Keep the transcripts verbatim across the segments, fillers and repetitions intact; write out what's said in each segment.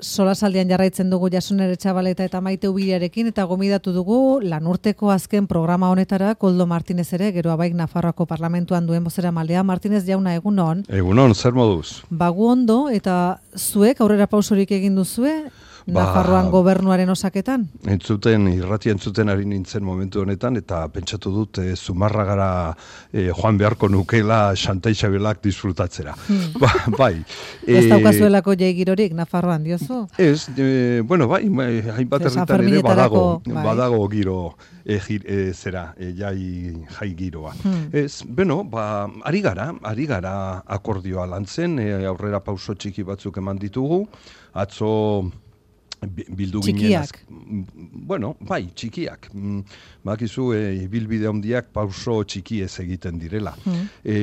solasaldian jarraitzen dugu Jasoner Etxabaleta eta Maite Ubiriarekin eta gomidatu dugu lanurteko azken programa honetara Koldo Martinez ere, gero abaik Nafarroako parlamentuan duen bozera maldea. Martinez jauna, egunon. Egunon, zer moduz? Bagu ondo, eta zuek aurrera pausorik egin duzue Nafarroan gobernuaren osaketan? Entzuten, irratia entzuten ari nintzen momentu honetan, eta pentsatu dut e, Zumarragara e, joan beharko nukela Xanta Isabelak disfrutatzera. Hmm. Ba, bai. Ez daukazuelako jaigirorik Nafarroan, diozu? Ez, e, bueno, bai, hainbat herritan ere badago, bai. badago giro e, gir, e, zera, e, jai, jai giroa. Hmm. Ez, bueno, ba, ari gara, ari gara akordioa lantzen, e, aurrera pauso txiki batzuk eman ditugu, atzo bildu txikiak. Ginen, bueno, bai, txikiak. Bakizu, e, bilbide handiak pauso txiki ez egiten direla. Mm. E,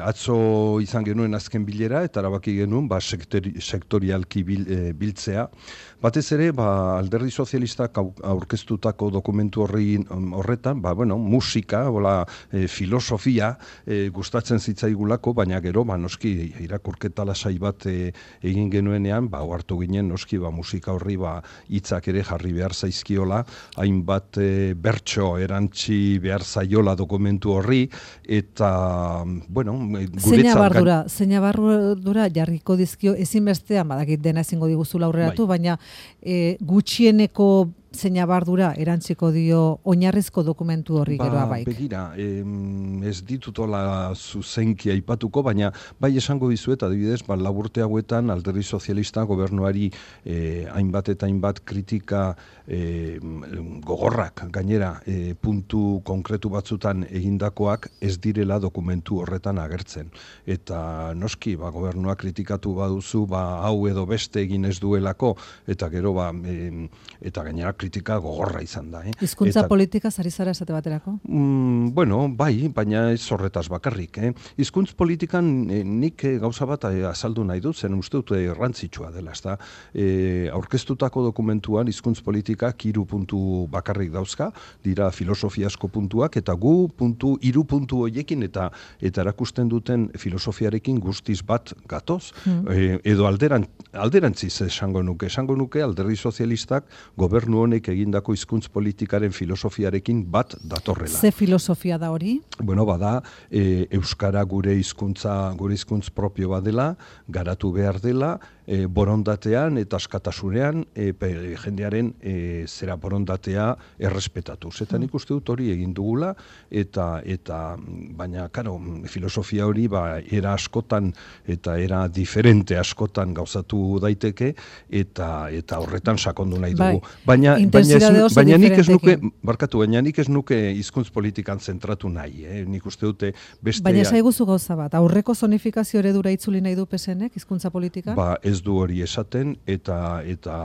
atzo izan genuen azken bilera, eta erabaki genuen ba, sektori, sektorialki bil, e, biltzea. Batez ere, ba, Alderdi Sozialistak aurkeztutako dokumentu horri, horretan, ba, bueno, musika, bola, e, filosofia e, gustatzen zitzaigulako, baina gero, ba, noski, irakurketa lasai bat e, egin genuenean, ba, hartu ginen, noski, ba, musika horri ba, hitzak ere jarri behar zaizkiola, hainbat e, bertso erantzi behar zaiola dokumentu horri, eta, bueno, guretzat... Zeina bardura, zeina bardura jarriko dizkio, ezinbestean, badakit dena ezingo diguzula aurreratu, bai. Baina e, gutxieneko zeina bardura erantziko dio oinarrizko dokumentu horri ba, geroa baik. Begira, em, ez ditutola zuzenki aipatuko, baina bai esango dizuet, adibidez, ba, laburte hauetan Alderdi Sozialista gobernuari eh, hainbat eta hainbat kritika eh, gogorrak gainera eh, puntu konkretu batzutan egindakoak ez direla dokumentu horretan agertzen. Eta noski, ba, gobernua kritikatu baduzu, ba, hau edo beste egin ez duelako, eta gero, ba, eh, eta gainera kritika gogorra izan da. Eh? Hizkuntza politika zari zara esate baterako? Mm, bueno, bai, baina ez horretaz bakarrik. Eh? Hizkuntz politikan eh, nik eh, gauza bat eh, azaldu nahi dut, zen uste dut errantzitsua dela. Ezta? Eh, aurkeztutako dokumentuan hizkuntz politikak hiru puntu bakarrik dauzka, dira filosofiasko puntuak, eta gu puntu, hiru puntu hoiekin eta eta erakusten duten filosofiarekin guztiz bat gatoz, mm. eh, edo alderan, alderantziz esango nuke, esango nuke Alderdi Sozialistak gobernu honek egindako hizkuntz politikaren filosofiarekin bat datorrela. Ze filosofia da hori? Bueno, bada, e, euskara gure hizkuntza, gure hizkuntz propio badela, garatu behar dela, e, borondatean eta askatasunean e, pe, jendearen e, zera borondatea errespetatuz. Eta nik uste dut hori egin dugula, eta, eta baina, karo, filosofia hori ba, era askotan eta era diferente askotan gauzatu daiteke, eta, eta horretan sakondu nahi dugu. Bai. Baina, baina, ez, baina nik ez nuke, barkatu, baina nik ez nuke hizkuntz politikan zentratu nahi, eh? Nik uste dute beste... Baina saiguzu gauza bat, aurreko zonifikazio eredura itzuli nahi du P S Nek hizkuntza politikan? Ba, ez du hori esaten, eta eta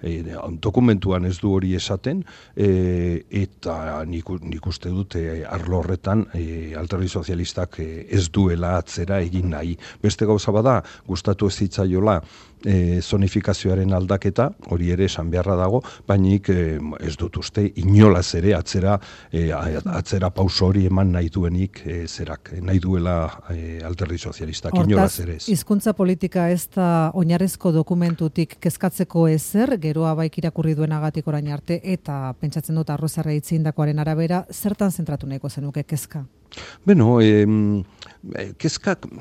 e, dokumentuan ez du hori esaten, e, eta nik, nik uste dute arlo horretan e, Alderdi Sozialistak e, ez duela atzera egin nahi. Beste gauza bada, gustatu ez zitzaiola E, zonifikazioaren aldaketa, hori ere esan beharra dago, bainik e, ez dut uste inolaz ere atzera, e, atzera pauso hori eman nahi duenik e, zerak, nahi duela e, Alderdi Sozialistak, inolaz ere ez. Hizkuntza politika ez da oinarrizko dokumentutik kezkatzeko ezer, geroa baik irakurri duenagatik orain arte, eta pentsatzen dut arrozarra itzindakoaren arabera, zertan zentratu nahiko zenuke kezka? Beno, e, kezkak...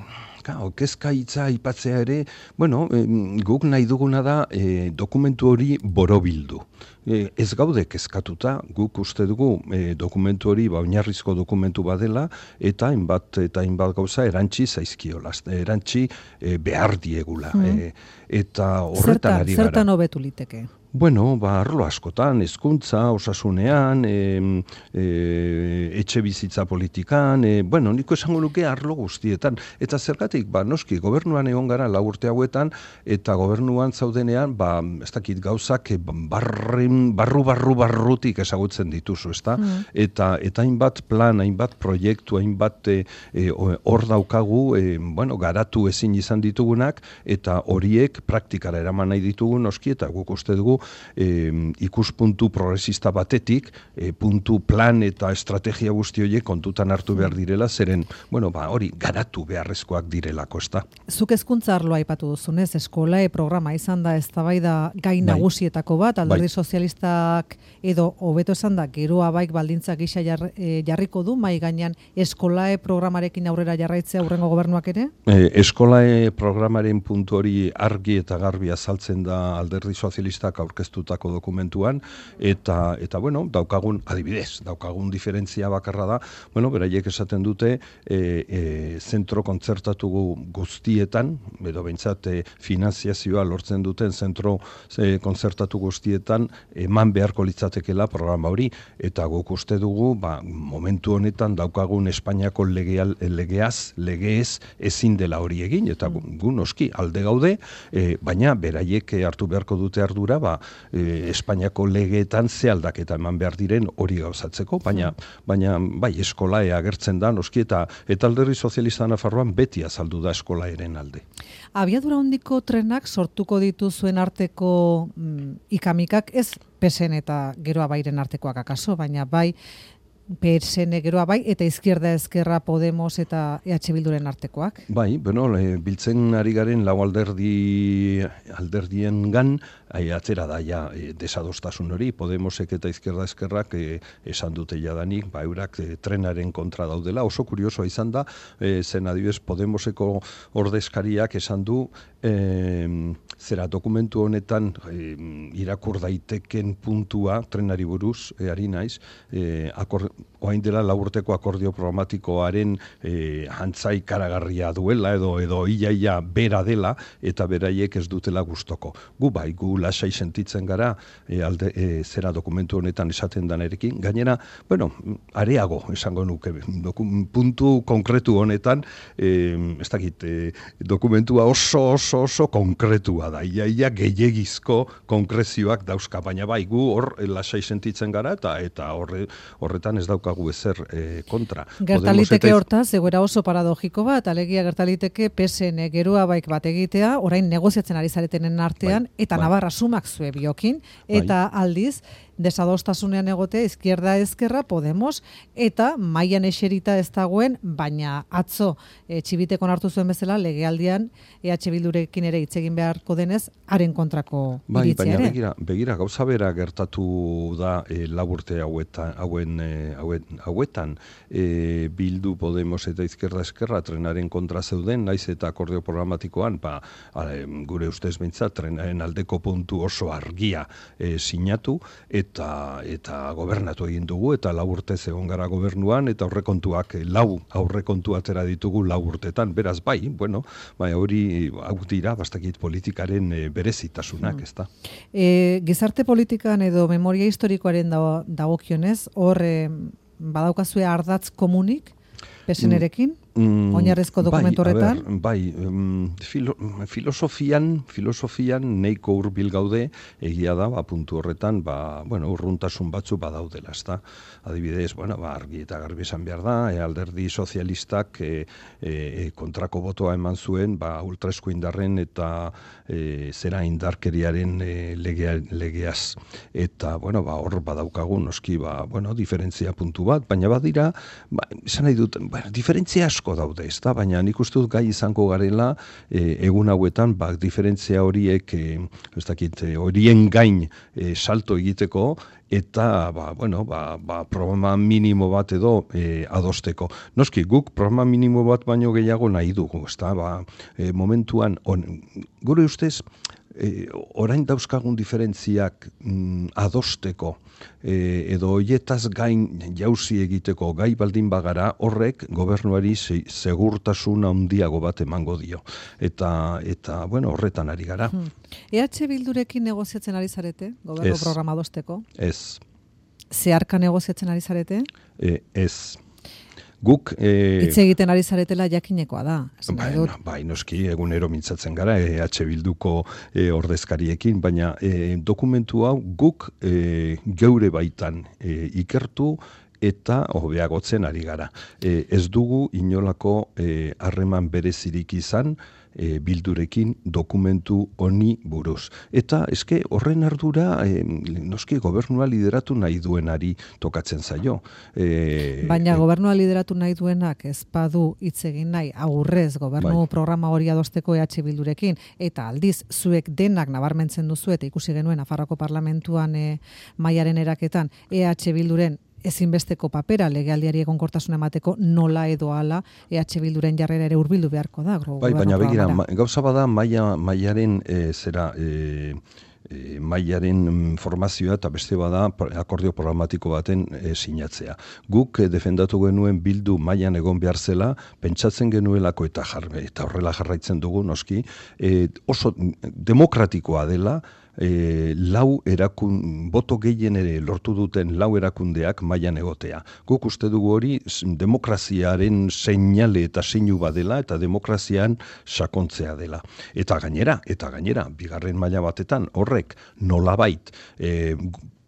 Kao, kezka hitza aipatzea ere, bueno, e, guk nahi duguna da e, dokumentu hori borobildu. E, ez gaude kezkatuta, guk uste dugu e, dokumentu hori ba, oinarrizko dokumentu badela, eta hainbat eta hainbat gauza erantzi zaizkiola, erantzi e, behar diegula. Mm. E, eta horretan ari gara. Zertan hobetu liteke? Bueno, ba, arlo askotan, hezkuntza, osasunean, e, e, etxe bizitza politikan, e, bueno, niko esango nuke arlo guztietan. Eta zergatik, ba, noski, gobernuan egon gara lau urte hauetan, eta gobernuan zaudenean, ba, ez dakit gauzak, barrin, barru, barru, barrutik ezagutzen dituzu, ezta? Mm. Eta, eta hainbat plan, hainbat proiektu, hainbat hor e, daukagu, e, bueno, garatu ezin izan ditugunak, eta horiek praktikara eraman nahi ditugu, noski, eta guk uste dugu, e, ikuspuntu progresista batetik, e, puntu plan eta estrategia guzti horiek kontutan hartu behar direla, zeren, bueno, ba, hori garatu beharrezkoak direlako, ezta. Zuk hezkuntza arloa aipatu duzunez, eskolae programa izan da eztabaida gai nagusietako bat, alderdi bai. Sozialistak edo hobeto esan da, geroa baik baldintza gisa jar, e, jarriko du, mai gainean eskolae programarekin aurrera jarraitzea aurrengo gobernuak ere? E, eskolae programaren puntu hori argi eta garbi azaltzen da alderdi sozialistak aurkeztutako dokumentuan, eta, eta bueno, daukagun, adibidez, daukagun diferentzia bakarra da, bueno, beraiek esaten dute, e, e, zentro kontzertatu guztietan, edo behintzat e, finanziazioa lortzen duten zentro e, kontzertatu guztietan, eman beharko litzatekela programa hori, eta guk uste dugu, ba, momentu honetan daukagun Espainiako legeal, legeaz, legeez ezin dela hori egin, eta gu noski alde gaude, e, baina beraiek hartu beharko dute ardura, ba, e, Espainiako legeetan ze aldaketa eman behar diren hori gauzatzeko, baina, baina bai, eskolae agertzen da, noski, eta, eta alderdi sozialista Nafarroan beti azaldu da eskolaeren alde. Abiadura handiko trenak sortuko dituzuen arteko mm, ikamikak, ez P S N eta Geroa Bairen artekoak akaso, baina bai P S N Geroa Bai eta Izquierda Ezkerra Podemos eta E H Bilduren artekoak. Bai, bueno, e, biltzen ari garen lau alderdi alderdiengan ai, atzera da ja e, desadostasun hori, Podemosek eta Izquierda Ezkerrak e, esan dute jadanik, ba eurak e, trenaren kontra daudela. Oso kuriosoa izan da, e, zen adibidez Podemoseko ordezkariak esan du e, zera dokumentu honetan e, irakur daiteken puntua trenari buruz, e, ari naiz, e, akor, oain dela laburteko akordio programatikoaren e, antzai karagarria duela edo edo iaia bera dela eta beraiek ez dutela gustoko. Gu bai, gu lasai sentitzen gara e, alde, e, zera dokumentu honetan esaten danerekin. Gainera, bueno, areago esango nuke, doku, puntu konkretu honetan, e, ez dakit, e, dokumentua oso oso oso konkretua da. Iaia gehiegizko konkrezioak dauzka, baina bai, gu hor lasai sentitzen gara eta eta horre, horretan ez daukagu ezer e, kontra. Gertaliteke eta... hortaz, egoera oso paradogiko bat, alegia gertaliteke P S N Geroa Baik bat egitea, orain negoziatzen ari zaretenen artean, bai, eta bai. Navarra sumak zue biokin, eta bai. Aldiz, desadostasunean egotea Izquierda Ezkerra Podemos, eta mailan eserita ez dagoen, baina atzo e, txibitekon hartu zuen bezala, legealdian E H Bildurekin ere hitz egin beharko denez, haren kontrako bai, iritzia ere. Baina begira, begira, gauza bera gertatu da e, laburte hauetan, hauen, e, hauen, hauetan e, Bildu, Podemos eta Izquierda Ezkerra trenaren kontra zeuden, naiz eta akordio programatikoan, ba, ale, gure ustez behintzat, trenaren aldeko puntu oso argia e, sinatu, eta eta gobernatu egin dugu, eta lau urte egon gara gobernuan, eta aurrekontuak lau aurrekontu atera ditugu lau urtetan, beraz bai, bueno, bai, hori hau dira, bastakit politikaren e, berezitasunak, hmm. ezta. E, gizarte politikan edo memoria historikoaren dagokionez, hor e, badaukazue ardatz komunik, P S N-erekin? Mm, oinarrezko dokumentu horretan? Bai, bai um, filo, filosofian, filosofian neiko hurbil gaude, egia da, ba, puntu horretan, ba, bueno, urruntasun batzu badaudela, ezta. Adibidez, bueno, ba, argi eta garbi esan behar da, e, alderdi sozialistak e, e, kontrako botoa eman zuen, ba, ultraesko indarren eta e, zera indarkeriaren e, legea, legeaz. Eta, bueno, ba, hor badaukagu, noski, ba, bueno, diferentzia puntu bat, baina badira, ba, esan nahi dut, ba, diferentzia asko daude, ezta, baina nik uste dut gai izango garela e, egun hauetan, ba, diferentzia horiek, e, ez dakit, horien gain e, salto egiteko, eta, ba, bueno, ba, ba, programa minimo bat edo e, adosteko. Noski, guk programa minimo bat baino gehiago nahi dugu, ezta, ba, e, momentuan, on, gure ustez, E, orain dauzkagun diferentziak mm, adosteko e, edo hoietaz gain jauzi egiteko gai baldin bagara, horrek gobernuari segurtasun handiago bat emango dio. Eta, eta bueno, horretan ari gara. Hmm. E H Bildurekin negoziatzen ari zarete, gobernu programa adosteko? Ez. Zeharka negoziatzen ari zarete? E, ez. Guk... E, Itze egiten ari zaretela jakinekoa da. Bai, no, bai, noski, egunero mintzatzen gara, E H Bilduko e, ordezkariekin, baina e, dokumentu hau guk e, geure baitan e, ikertu eta hobeagotzen ari gara. E, ez dugu inolako harreman berezirik izan E, bildurekin dokumentu honi buruz. Eta eske horren ardura e, noski gobernua lideratu nahi duenari tokatzen zaio. E, Baina e, gobernua lideratu nahi duenak ez badu hitz egin nahi aurrez gobernu bai. programa hori adosteko E H Bildurekin eta aldiz zuek denak nabarmentzen duzu eta ikusi genuen Nafarroako parlamentuan e, mailaren eraketan E H Bilduren ezinbesteko papera legealdiari egonkortasuna emateko nola edo hala E H Bilduren jarrera ere hurbildu beharko da. Bai, baina begira, ma, gauza bada maila, mailaren e, zera e, e, mailaren formazioa eta beste bada akordio programatiko baten e, sinatzea. Guk e, defendatu genuen Bildu mailan egon behar zela, pentsatzen genuelako eta jarbe eta horrela jarraitzen dugu noski, e, oso demokratikoa dela. E, lau erakun, boto gehien ere lortu duten lau erakundeak mailan egotea. Guk uste dugu hori demokraziaren seinale eta seinu badela eta demokrazian sakontzea dela. Eta gainera, eta gainera, bigarren maila batetan horrek nolabait e,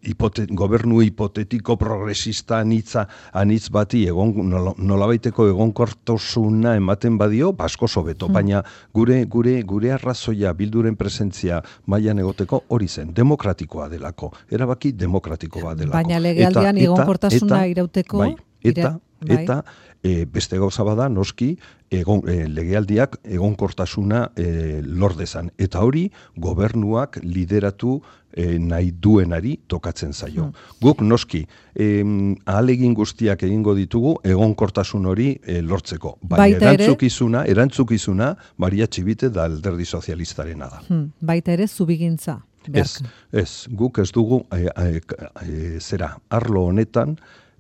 Hipote, gobernu hipotetiko progresista anitza anitz bati egon nolabaiteko egonkortasuna ematen badio asko hobeto, hmm. baina gure gure gure arrazoia Bilduren presentzia mailan egoteko hori zen demokratikoa delako, erabaki demokratiko bat delako. Baina legealdian egonkortasuna irauteko bai, eta bai. eta e, beste gauza bada noski egon, e, legealdiak egonkortasuna e, lor dezan eta hori gobernuak lideratu E, nahi duenari tokatzen zaio. Hmm. Guk noski e, ahalegin guztiak egingo ditugu egonkortasun hori e, lortzeko. Baina erantzukizuna, erantzukizuna Maria Txibite da Alderdi Sozialistarena da. Hmm. Baita ere zubigintza. Ez, ez, guk ez dugu e, e, e, zera, arlo honetan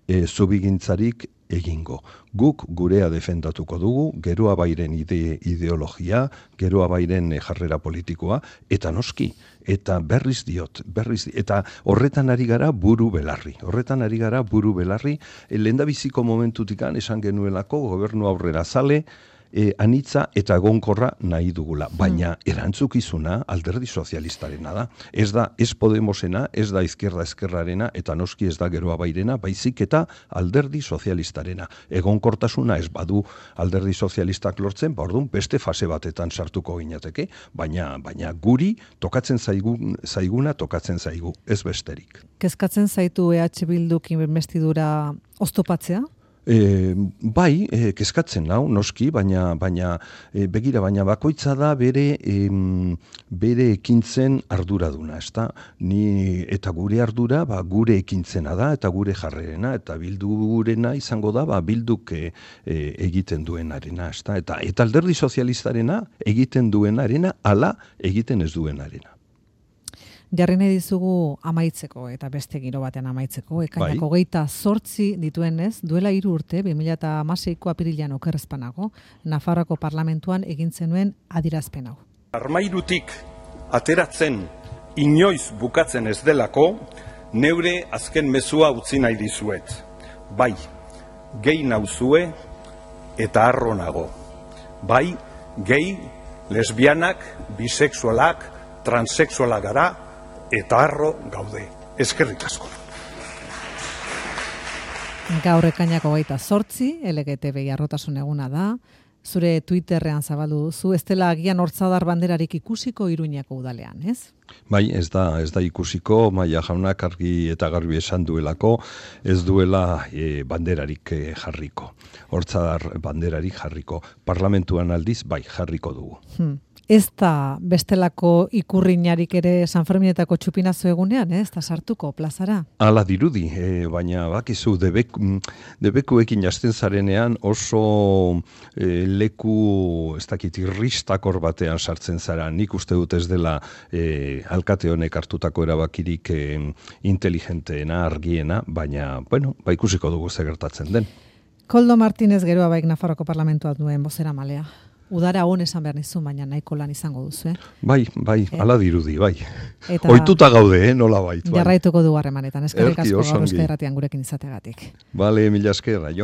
e, zubigintzarik egingo. Guk gurea defendatuko dugu, geroa bairen ide, ideologia, geroa bairen jarrera politikoa, eta noski, eta berriz diot, berriz diot, eta horretan ari gara buru belarri. Horretan ari gara buru belarri, lehendabiziko momentutikan esan genuelako gobernu aurrera zale, E, anitza eta egonkorra nahi dugula. Baina erantzukizuna Alderdi Sozialistarena da. Ez da ez Podemosena, ez da Izquierda Esquerrarena eta noski ez da Geroa Bairena, baizik eta Alderdi Sozialistarena. Egonkortasuna ez badu Alderdi Sozialistak lortzen, ba orduan beste fase batetan sartuko ginateke, baina baina guri tokatzen zaigun, zaiguna tokatzen zaigu, ez besterik. Kezkatzen zaitu E H Bilduk investidura oztopatzea? E, bai, e, kezkatzen nau, noski, baina, baina e, begira, baina bakoitza da bere, e, bere ekintzen arduraduna, ezta? Ni, eta gure ardura, ba, gure ekintzena da, eta gure jarrerena, eta Bildurena izango da, ba, Bilduk e, e, egiten duenarena, ezta? Eta, eta Alderdi Sozialistarena egiten duenarena, ala egiten ez duenarena. Jarri nahi dizugu amaitzeko eta beste giro batean amaitzeko. Ekainako bai. Geita zortzi dituenez, duela hiru urte, bi mila hamaseiko apirilean okerrezpanago, Nafarroako parlamentuan egin zenuen adierazpen hau. Armairutik ateratzen inoiz bukatzen ez delako, neure azken mezua utzi nahi dizuet. Bai, gehi nauzue eta harro nago. Bai, gehi, lesbianak, bisexualak, transexualak gara, eta harro gaude. Eskerrik asko. Gaur ekainako geita zortzi, L G T B I harrotasun eguna da. Zure Twitterrean zabaldu duzu, ez dela agian hortzadar banderarik ikusiko Iruñako udalean, ez? Bai, ez da, ez da ikusiko, Maia jaunak argi eta garbi esan duelako, ez duela e, banderarik e, jarriko. Hortzadar banderarik jarriko. Parlamentuan aldiz, bai, jarriko dugu. Hmm. Ez da bestelako ikurriñarik ere San Ferminetako txupinazo egunean, ez da sartuko plazara? Hala dirudi, e, baina bakizu debek, debekuekin jasten zarenean oso e, leku, ez dakit, irristakor batean sartzen zara. Nik uste dut ez dela e, alkate honek hartutako erabakirik e, inteligenteena, argiena, baina, bueno, ba ikusiko dugu ze gertatzen den. Koldo Martínez Geroa Baik Nafarroko parlamentua duen bozera malea. Udara hon esan behar nizu, baina nahiko lan izango duzu, eh? Bai, bai, e? Ala dirudi, bai. Eta ohituta gaude, eh, nola bait. Bai. Jarraituko du harremanetan, eskerrik asko gaur Euskal Irratian gurekin izategatik. Bale, mila esker, jo.